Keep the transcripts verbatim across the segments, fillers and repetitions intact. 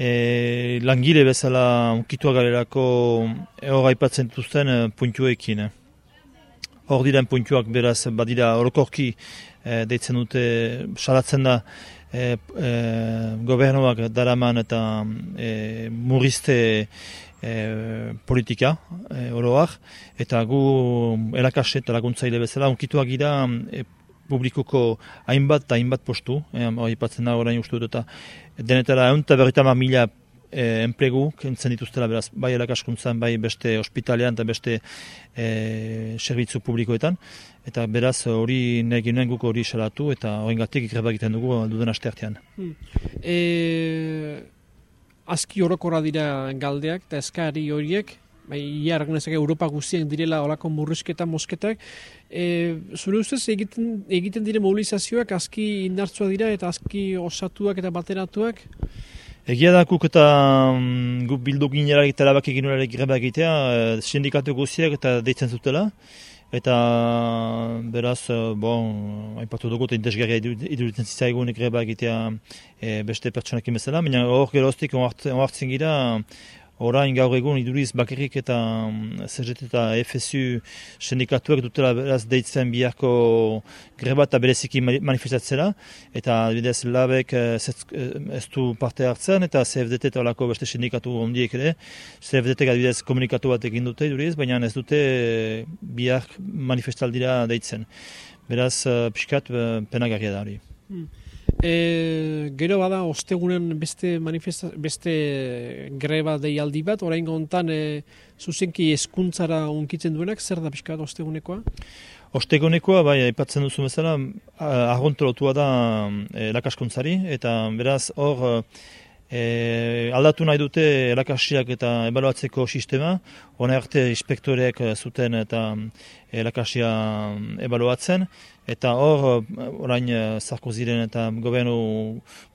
e, langile bezala unkituak garelako hor aipatzen dituzten puntuekin. Hor diren puntuak beraz badira orokorki e, deitzen dute, salatzen da e, e, gobernuak daraman eta e, murrizte e, politika e, oroak, eta gu erakasle eta laguntzaile bezala unkituak gira e, publikoko hainbat eta hainbat postu, aipatzen da orain uste dut, eta denetara ehun eta berrogeita hamar mila E, enplegu kentzen dituztela, beraz, bai erakaskuntzan, bai beste ospitalean eta beste e, zerbitzu publikoetan, eta beraz hori nahi ginen guk hori salatu eta horrengatik greba egiten dugu duden asteartean. Hmm. E, aski orokorra dira galdeak eta eskari horiek, bai, ia argnezak Europa guztien direla olako murrizketa mosketak, e, zure ustez egiten, egiten dire mobilizazioak aski indartsua dira eta aski osatuak eta bateratuak? Egia da guk eta um, guk bildu ginerarik eta labak egin horrek greba egitea, e, sindikatu guztiak eta deitzen zutela. Eta beraz, bon, aipatu dugu eta indesgarria iduritzen zitzaigun greba egitea e, beste pertsonekin bezala, baina hor geroztik onartzen gira, orain gaur egun iduriz bakarrik eta C G T eta F S U sindikatuak dutela beraz deitzen biharko greba eta bereziki manifestatzera, eta adibidez labek ez du parte hartzen, eta C F D T eta olako beste sindikatu ondiek ere, C F D T adibidez komunikatu bat egin dute iduriz, baina ez dute bihar manifestaldira deitzen. Beraz, pixkat penagarria da hori. Hmm. E, gero bada ostegunen beste beste greba deialdi bat, orain gontan e, zuzenki hezkuntzara unkitzen duenak, zer da pixka ostegunekoa? Ostegunekoa, bai, aipatzen duzu bezala, argontolotua da erakaskuntzari, eta beraz hor e, aldatu nahi dute erakasiak eta ebaluatzeko sistema, hona arte inspektoreek zuten eta erakasia ebaluatzen, eta hor, orain Sarkozyren eta gobernu,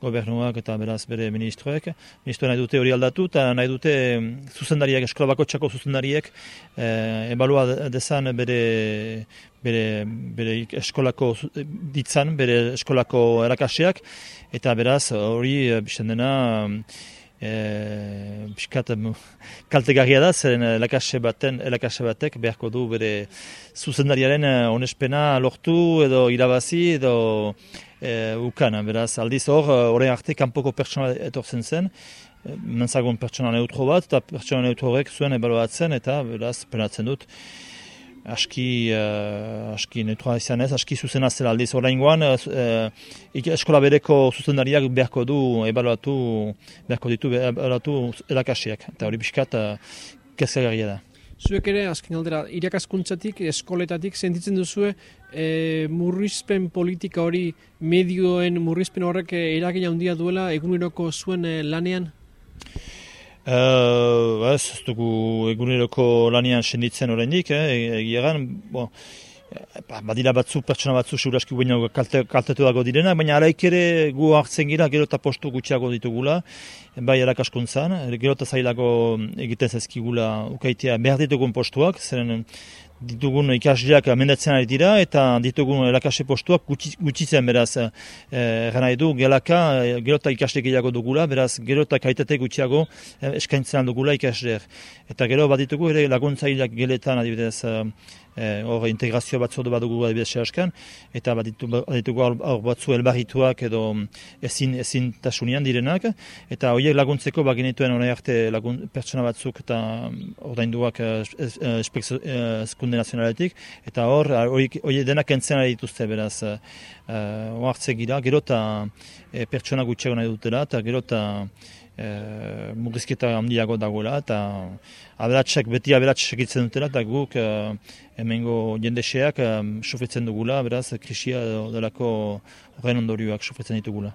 gobernuak eta beraz bere ministroek, ministroek nahi dute hori aldatu, eta nahi dute zuzendariek, eskola bakoitzako zuzendariek e, ebalua dezan bere, bere, bere eskolako ditzan, bere eskolako erakasiak, eta beraz hori bizten dena E, biskat kaltegarria da, zeren elakase baten, elakase batek beharko du bere zuzendariaren onespena lortu edo irabazi edo e, ukan. Beraz, aldiz hor, orain arte kanpoko pertsona etortzen zen, mentzagon pertsona neutro bat, eta pertsona neutro horrek zuen ebaluatzen, eta beraz, penatzen dut. Aski, uh, aski neutroa izan ez, aski zuzena zela aldiz oraingoan, uh, eskola bereko zuzendariak beharko du ebaluatu, beharko ditu ebaluatu erakasiak, eta hori biskat uh, kezkagarria da. Zuek ere, azken aldera, irakaskuntzatik, eskoletatik, sentitzen duzue e, murrizpen politika hori, medioen murrizpen horrek eragina handia duela eguneroko zuen e, lanean? Uh, ez, ez dugu eguneroko lanian senditzen oraindik, eh, egiagan, bon, badira batzu, pertsona batzu, seguraski baino kalte, kaltetu dago direna, baina araik ere gu hartzen gira, gero eta postu gutxiago ditugula, bai erakaskuntzan, gero eta zailago egiten zezkigula ukaitea behar ditugun postuak, zeren ditugun ikasleak amendatzen ari dira, eta ditugun erakasle postuak gutxitzen beraz, erran nahi du, gelaka, gero eta ikasle gehiago dugula, beraz, gero eta kaitate gutxiago eskaintzen dugula ikasleak. Eta gero bat ditugu ere laguntzaileak geletan adibidez, hor e, integrazio batzordu bat dugu adibidez sehaskan, eta bat ditugu hor batzu elbarrituak edo ezin, ezin tasunian direnak, eta horiek laguntzeko baginituen hori arte lagun, pertsona batzuk eta ordainduak eskunde nazionaletik, eta hor horiek denak entzen ari dituzte beraz, oartze gira, gero eta e, pertsona gutxiago nahi dutela, eta gero eta e, murrizketa handiago dagoela, eta aberatsak, beti aberatsak segitzen dutela, eta guk e, hemengo jendeseak e, sufritzen dugula, beraz, krisia delako horren ondorioak sufritzen ditugula.